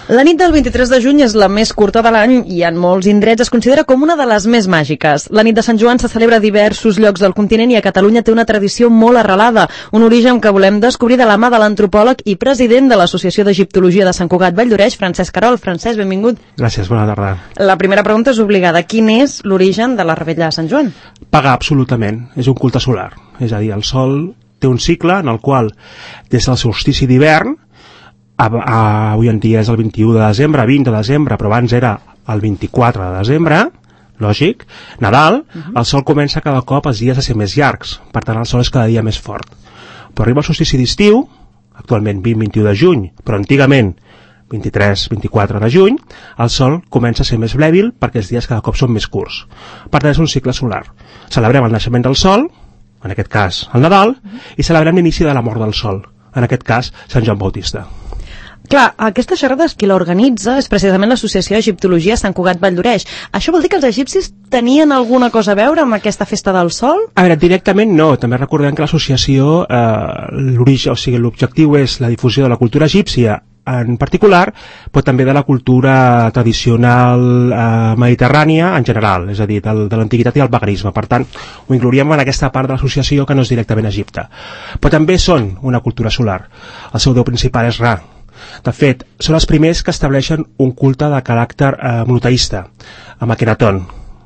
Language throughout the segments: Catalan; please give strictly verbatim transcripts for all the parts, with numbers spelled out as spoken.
La nit del vint-i-tres de juny és la més curta de l'any i en molts indrets es considera com una de les més màgiques. La nit de Sant Joan se celebra a diversos llocs del continent i a Catalunya té una tradició molt arrelada, un origen que volem descobrir de la mà de l'antropòleg i president de l'Associació d'Egiptologia de Sant Cugat Valldoreix, Francesc Querol. Francesc, benvingut. Gràcies, bona tarda. La primera pregunta és obligada. Quin és l'origen de la revetlla de Sant Joan? Pagar, absolutament. És un culte solar. És a dir, el sol té un cicle en el qual, des del solstici d'hivern, A, a, avui en dia és el vint-i-u de desembre, vint de desembre, però abans era el vint-i-quatre de desembre, lògic, Nadal, uh-huh. El sol comença cada cop els dies a ser més llargs, per tant el sol és cada dia més fort. Però arriba el solstici d'estiu, actualment vint vint-i-u de juny, però antigament vint-i-tres vint-i-quatre de juny, el sol comença a ser més blèbil perquè els dies cada cop són més curts. Per tant és un cicle solar. Celebrem el naixement del sol, en aquest cas el Nadal, uh-huh. I celebrem l'inici de la mort del sol, en aquest cas Sant Joan Bautista. Clar, aquesta xerrada qui l'organitza és precisament l'Associació d'Egiptologia Sant Cugat Valldoreix. Això vol dir que els egipcis tenien alguna cosa a veure amb aquesta festa del sol? A veure, directament no. També recordem que l'associació, eh, l'origen, o sigui, l'objectiu és la difusió de la cultura egípcia en particular, però també de la cultura tradicional eh, mediterrània en general, és a dir, de, de l'antiguitat i el paganisme. Per tant, ho inclouríem en aquesta part de l'associació que no és directament Egipte. Però també són una cultura solar. El seu déu principal és Ra. De fet, són els primers que estableixen un culte de caràcter eh, monoteista, amb Akhenaton,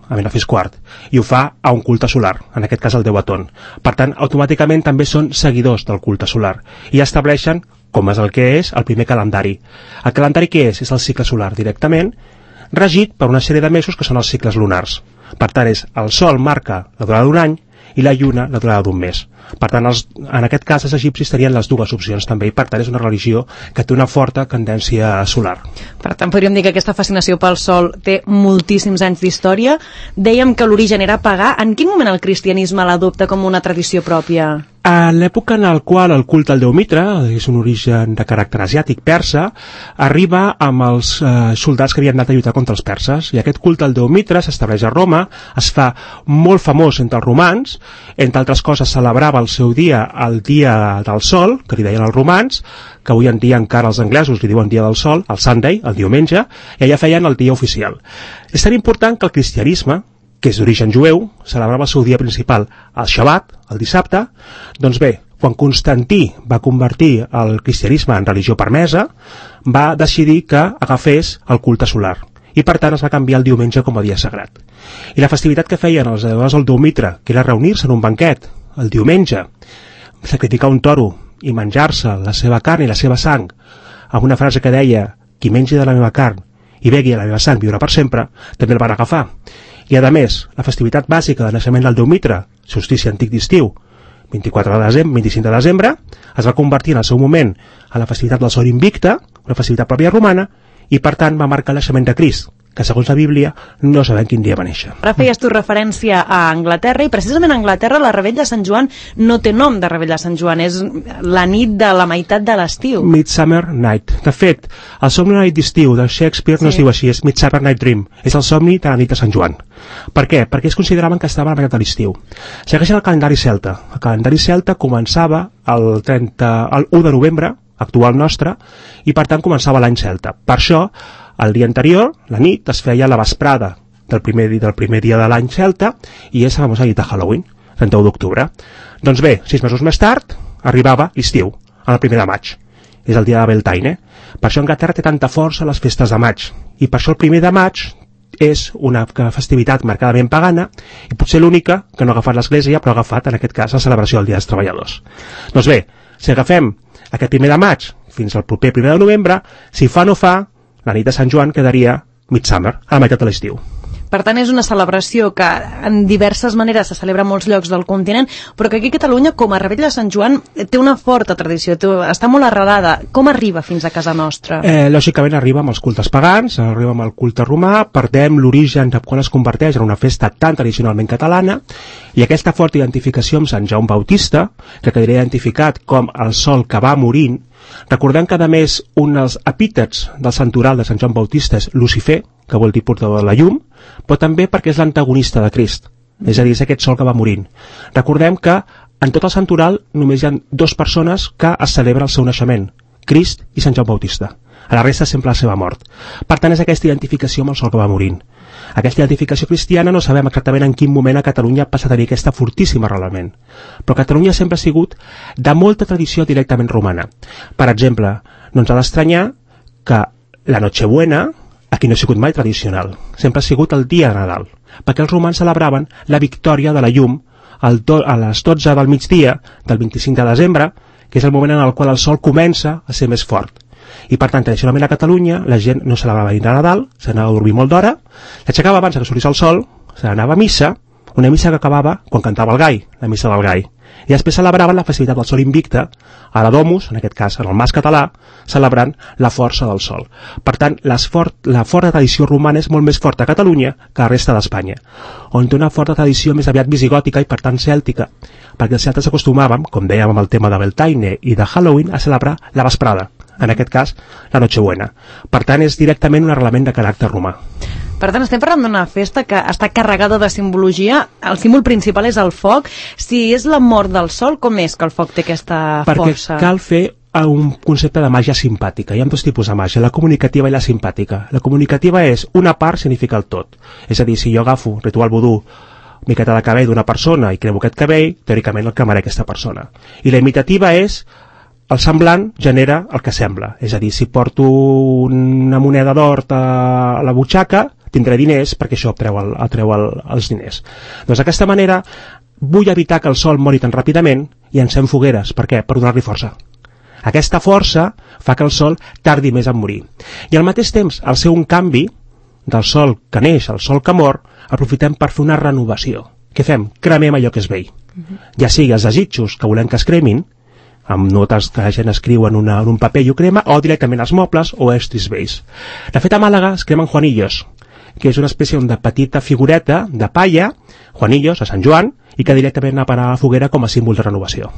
a Menofis quart, i ho fa a un culte solar, en aquest cas el déu Aton. Per tant, automàticament també són seguidors del culte solar, i estableixen, com és el que és, el primer calendari. El calendari què és? És el cicle solar directament, regit per una sèrie de mesos que són els cicles lunars. Per tant, és el sol marca la durada d'un any i la lluna la durada d'un mes. Per tant, els, en aquest cas, els egipcis tenien les dues opcions també, i per tant és una religió que té una forta tendència solar. Per tant, podríem dir que aquesta fascinació pel sol té moltíssims anys d'història. Dèiem que l'origen era pagà. En quin moment el cristianisme l'adopta com una tradició pròpia? En l'època en la qual el culte al déu Mitra, és un origen de caràcter asiàtic persa, arriba amb els eh, soldats que havien anat a lluitar contra els perses, i aquest culte al déu Mitra s'estableix a Roma, es fa molt famós entre els romans, entre altres coses celebrava el seu dia el dia del sol, que li deien els romans, que avui en dia encara els anglesos li diuen dia del sol, el Sunday, el diumenge, i allà feien el dia oficial. És tan important que el cristianisme, que és d'origen jueu, celebrava el seu dia principal, el Shabbat, el dissabte. Doncs bé, quan Constantí va convertir el cristianisme en religió permesa, va decidir que agafés el culte solar, i per tant es va canviar el diumenge com a dia sagrat. I la festivitat que feien els adorats del déu Mitra, que era reunir-se en un banquet el diumenge, sacrificar un toro i menjar-se la seva carn i la seva sang, amb una frase que deia: qui mengi de la meva carn i begui de la meva sang viurà per sempre, també el van agafar. I a més, la festivitat bàsica de naixement del déu Mitra, solstici antic d'estiu, vint-i-quatre de desembre, vint-i-cinc de desembre, es va convertir en el seu moment a la festivitat del Sol Invicte, una festivitat pròpia romana, i per tant va marcar el naixement de Crist, que segons la Bíblia no sabem quin dia va néixer. Ara feies tu referència a Anglaterra, i precisament a Anglaterra la revetlla de Sant Joan no té nom de revetlla de Sant Joan, és la nit de la meitat de l'estiu. Midsummer Night. De fet, el somni de la nit d'estiu de Shakespeare sí. No es diu així, és Midsummer Night Dream, és el somni de la nit de Sant Joan. Per què? Perquè es consideraven que estava a la meitat de l'estiu. Segueixen el calendari celta. El calendari celta començava el, trenta, el u de novembre, actual nostre, i per tant començava l'any celta. Per això, el dia anterior, la nit, es feia la vesprada del primer, del primer dia de l'any celta, i és la famosa nit de Halloween, trenta-u d'octubre. Doncs bé, sis mesos més tard, arribava l'estiu, el primer de maig. És el dia de Beltane. Per això Anglaterra té tanta força a les festes de maig, i per això el primer de maig és una festivitat marcadament pagana, i potser l'única que no ha agafat l'Església, però ha agafat, en aquest cas, la celebració del Dia dels Treballadors. Doncs bé, si agafem aquest primer de maig fins al proper primer de novembre, si fa o no fa, la nit de Sant Joan quedaria Midsummer, a la meitat de l'estiu. Per tant, és una celebració que en diverses maneres se celebra a molts llocs del continent, però que aquí a Catalunya, com a revetlla de Sant Joan, té una forta tradició, té, està molt arrelada. Com arriba fins a casa nostra? Eh, lògicament arriba amb els cultes pagans, arriba amb el culte romà, perdem l'origen de quan es converteix en una festa tan tradicionalment catalana, i aquesta forta identificació amb Sant Jaume Bautista, que quedaria identificat com el sol que va morint. Recordem que, a més, un dels epítets del santoral de Sant Joan Bautista és Lucifer, que vol dir portador de la llum, però també perquè és l'antagonista de Crist, és a dir, és aquest sol que va morint. Recordem que en tot el santoral només hi ha dues persones que es celebra el seu naixement, Crist i Sant Joan Bautista. A la resta sempre la seva mort. Per tant, és aquesta identificació amb el sol que va morint. Aquesta identificació cristiana no sabem exactament en quin moment a Catalunya passa a tenir aquesta fortíssima arrelament. Però Catalunya sempre ha sigut de molta tradició directament romana. Per exemple, no ens ha d'estranyar que la Nochebuena aquí no ha sigut mai tradicional. Sempre ha sigut el dia de Nadal, perquè els romans celebraven la victòria de la llum al do, a les dotze del migdia del vint-i-cinc de desembre, que és el moment en el qual el sol comença a ser més fort. I per tant, tradicionalment a Catalunya la gent no celebrava ni de Nadal, s'anava a dormir molt d'hora, s'aixecava abans que sortís el sol, s'anava a missa, una missa que acabava quan cantava el gall, la missa del gall. I després celebraven la festivitat del sol invicte, a la Domus, en aquest cas en el Mas Català, celebrant la força del sol. Per tant, fort, la forta tradició romana és molt més forta a Catalunya que a la resta d'Espanya, on té una forta tradició més aviat visigòtica i per tant cèltica, perquè els celtes acostumàvem, com dèiem amb el tema de Beltane i de Halloween, a celebrar la vesprada, en aquest cas la Nochebuena. Per tant, és directament un arrelament de caràcter romà. Per tant, estem parlant d'una festa que està carregada de simbologia. El símbol principal és el foc. Si és la mort del sol, com és que el foc té aquesta Perquè força? Perquè cal fer un concepte de màgia simpàtica. Hi ha dos tipus de màgia, la comunicativa i la simpàtica. La comunicativa és una part significa el tot. És a dir, si jo agafo ritual vodú, miqueta de cabell d'una persona i cremo aquest cabell, teòricament el cremaré aquesta persona. I la imitativa és el semblant genera el que sembla. És a dir, si porto una moneda d'or a la butxaca, tindré diners perquè això treu, el, treu el, els diners. Doncs d'aquesta manera vull evitar que el sol mori tan ràpidament i encem fogueres. Per què? Per donar-li força. Aquesta força fa que el sol tardi més en morir. I al mateix temps, al ser un canvi del sol que neix al sol que mor, aprofitem per fer una renovació. Què fem? Cremem allò que és vell. Uh-huh. Ja sigui els desitjos que volem que es cremin, amb notes que la gent escriu en, una, en un paper i ho crema, o directament els mobles o estris vells. De fet, a Màlaga es cremen Juanillos, que és una espècie de petita figureta de palla, Juanillos, a Sant Joan, i que directament va parar a la foguera com a símbol de renovació.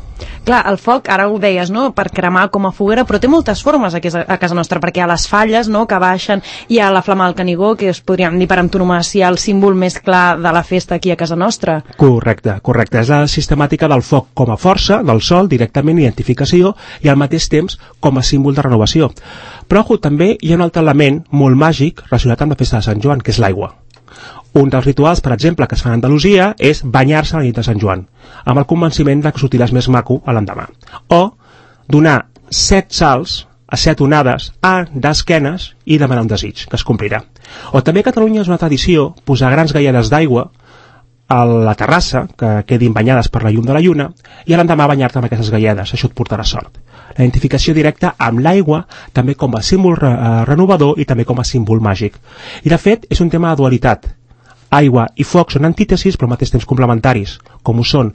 Clar, el foc, ara ho deies, no?, per cremar com a foguera, però té moltes formes aquí a casa nostra, perquè hi ha les falles, no?, que baixen, hi ha la flama del Canigó, que es podríem dir per antonomàsia el símbol més clar de la festa aquí a casa nostra. Correcte, correcte. És la sistemàtica del foc com a força, del sol, directament identificació, i al mateix temps com a símbol de renovació. Però, ojo, també hi ha un altre element molt màgic relacionat amb la festa de Sant Joan, que és l'aigua. Un dels rituals, per exemple, que es fan a Andalusia és banyar-se a la nit de Sant Joan, amb el convenciment de que sortiràs més maco a l'endemà. O donar set salts a set onades a d'esquenes i demanar un desig, que es complirà. O també a Catalunya és una tradició posar grans gaiades d'aigua a la terrassa, que quedin banyades per la llum de la lluna, i a l'endemà banyar-te amb aquestes gaiades, això et portarà sort. La identificació directa amb l'aigua, també com a símbol re renovador i també com a símbol màgic. I de fet, és un tema de dualitat. Aigua i foc són antítesis, però al mateix temps complementaris, com ho són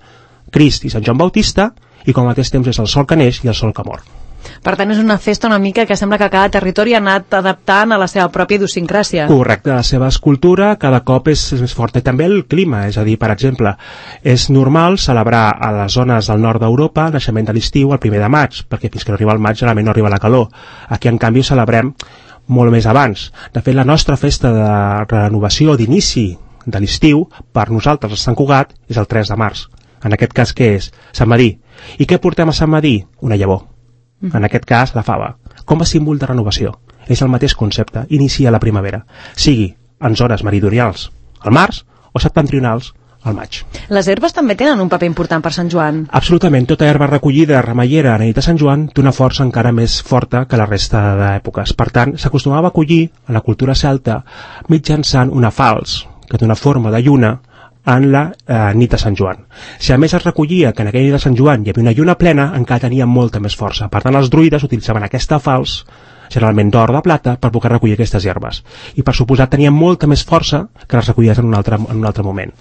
Crist i Sant Joan Bautista, i com al mateix temps és el sol que neix i el sol que mor. Per tant, és una festa una mica que sembla que cada territori ha anat adaptant a la seva pròpia idiosincràsia. Correcte, la seva escultura cada cop és, és més forta. I també el clima, és a dir, per exemple, és normal celebrar a les zones del nord d'Europa el naixement de l'estiu el primer de maig, perquè fins que no arriba el maig generalment no arriba la calor. Aquí, en canvi, ho celebrem molt més abans. De fet, la nostra festa de renovació, d'inici de l'estiu, per nosaltres a Sant Cugat, és el tres de març. En aquest cas, què és? Sant Madí. I què portem a Sant Madí? Una llavor. En aquest cas, la fava, com a símbol de renovació. És el mateix concepte, inicia la primavera, sigui en zones meridionals al març o septentrionals al maig. Les herbes també tenen un paper important per Sant Joan. Absolutament, tota herba recollida remeiera a la nit de Sant Joan té una força encara més forta que la resta d'èpoques. Per tant, s'acostumava a collir a la cultura celta mitjançant una falç, que té una forma de lluna, en la eh, nit de Sant Joan. Si a més es recollia que en aquella nit de Sant Joan hi havia una lluna plena, encara tenia molta més força. Per tant, els druides utilitzaven aquesta falç, generalment d'or de plata, per poder recollir aquestes herbes. I per suposat tenien molta més força que les recollies en un altre, en un altre moment.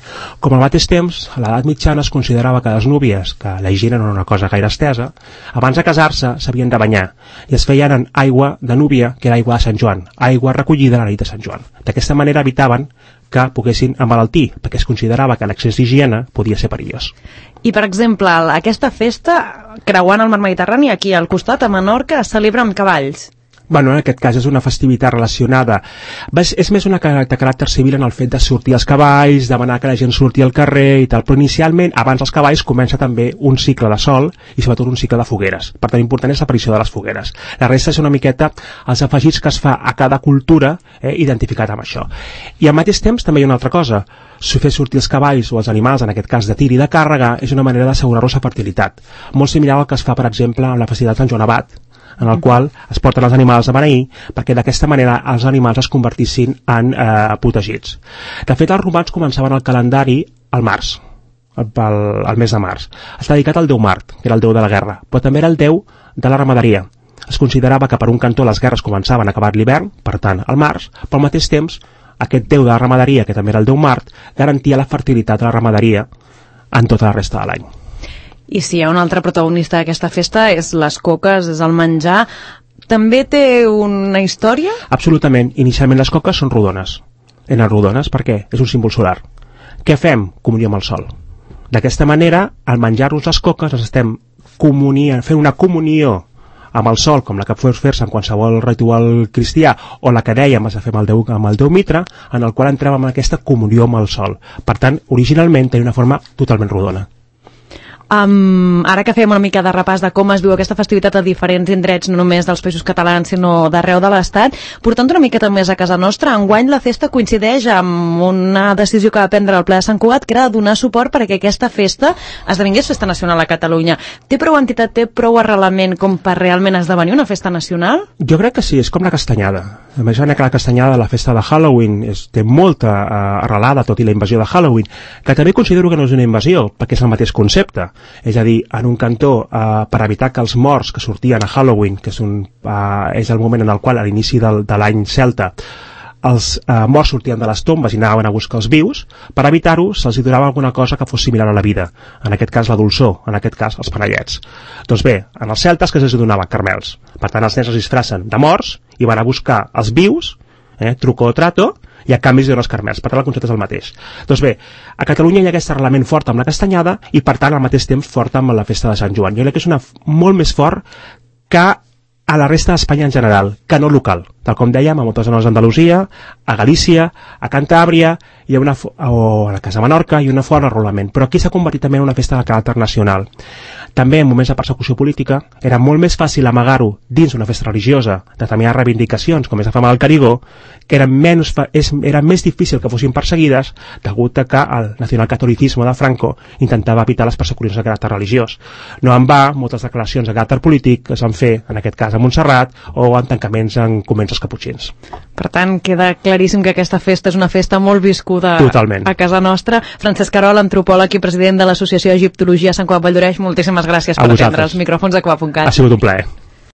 Com al mateix temps, a l'edat mitjana es considerava que les núvies, que la higiene no era una cosa gaire estesa, abans de casar-se s'havien de banyar i es feien en aigua de núvia, que era aigua de Sant Joan, aigua recollida a la nit de Sant Joan. D'aquesta manera evitaven que poguessin emmalaltir, perquè es considerava que l'excés d'higiene podia ser perillós. I, per exemple, aquesta festa, creuant el mar Mediterrani, aquí al costat, a Menorca, es celebra amb cavalls. Bueno, en aquest cas és una festivitat relacionada. És, és més una de caràcter civil en el fet de sortir als cavalls, demanar que la gent surti al carrer i tal, però inicialment, abans dels cavalls, comença també un cicle de sol i sobretot un cicle de fogueres. Per tant, important és l'aparició de les fogueres. La resta és una miqueta els afegits que es fa a cada cultura eh, identificat amb això. I al mateix temps també hi ha una altra cosa. Si fer sortir els cavalls o els animals, en aquest cas de tir i de càrrega, és una manera d'assegurar-los la fertilitat. Molt similar al que es fa, per exemple, amb la festivitat de Sant Joan Abat, en el qual es porten els animals a beneir perquè d'aquesta manera els animals es convertissin en eh, protegits. De fet, els romans començaven el calendari al març, al, al mes de març. Està dedicat al déu Mart, que era el déu de la guerra, però també era el déu de la ramaderia. Es considerava que per un cantó les guerres començaven acabat l'hivern, per tant, al març, però al mateix temps aquest déu de la ramaderia, que també era el déu Mart, garantia la fertilitat de la ramaderia en tota la resta de l'any. I si hi ha un altre protagonista d'aquesta festa és les coques, és el menjar. També té una història? Absolutament. Inicialment les coques són rodones. Eren rodones perquè és un símbol solar. Què fem? Comunió amb el sol. D'aquesta manera, al menjar-nos les coques, ens estem comuniant, fent una comunió amb el sol, com la que pots fer-se en qualsevol ritual cristià, o la que dèiem es a fer amb el Déu, amb el Déu Mitra, en el qual entrem en aquesta comunió amb el sol. Per tant, originalment tenia una forma totalment rodona. Um, ara que fèiem una mica de repàs de com es viu aquesta festivitat a diferents indrets, no només dels països catalans, sinó d'arreu de l'Estat, portant una miqueta més a casa nostra, enguany la festa coincideix amb una decisió que va prendre el ple de Sant Cugat, que era donar suport perquè aquesta festa esdevingués festa nacional a Catalunya. Té prou entitat, té prou arrelament com per realment esdevenir una festa nacional? Jo crec que sí, és com la castanyada. A més, que la castanyada de la festa de Halloween és, té molta uh, arrelada, tot i la invasió de Halloween, que també considero que no és una invasió, perquè és el mateix concepte. És a dir, en un cantó, eh, per evitar que els morts que sortien a Halloween, que és, un, eh, és el moment en el qual, a l'inici del, de l'any celta, els eh, morts sortien de les tombes i anaven a buscar els vius, per evitar-ho se'ls donava alguna cosa que fos similar a la vida, en aquest cas la dolçor, en aquest cas els panellets. Doncs bé, en els celtes que se'ls donava carmels, per tant els nens es disfressen de morts i van a buscar els vius, eh, truco o trato, i a canvi es donen els carmels, per tant el concepte és el mateix. Doncs bé, a Catalunya hi ha aquest arrelament fort amb la castanyada i per tant al mateix temps fort amb la festa de Sant Joan. Jo crec que és una molt més fort que a la resta d'Espanya en general, que no local. Tal com dèiem, a moltes zones d'Andalusia, a Galícia, a Cantàbria, hi ha una o a la Casa Menorca, hi ha una fort arrelament. Però aquí s'ha convertit també en una festa de caràcter nacional. També en moments de persecució política era molt més fàcil amagar-ho dins una festa religiosa, de determinades reivindicacions, com és la fama del Carigó, que era, menys, és, era més difícil que fossin perseguides degut a que el nacionalcatolicisme de Franco intentava evitar les persecucions de caràcter religiós. No en va, moltes declaracions de caràcter polític es van fer, en aquest cas a Montserrat, o en tancaments en convents dels caputxins. Per tant, queda claríssim que aquesta festa és una festa molt viscuda Totalment. A casa nostra. Francesc Querol, antropòleg i president de l'Associació d'Egiptologia Sant Cugat Valldoreix, moltíssimes gràcies per atendre els micròfons de Cugat punt cat. Ha sigut un plaer.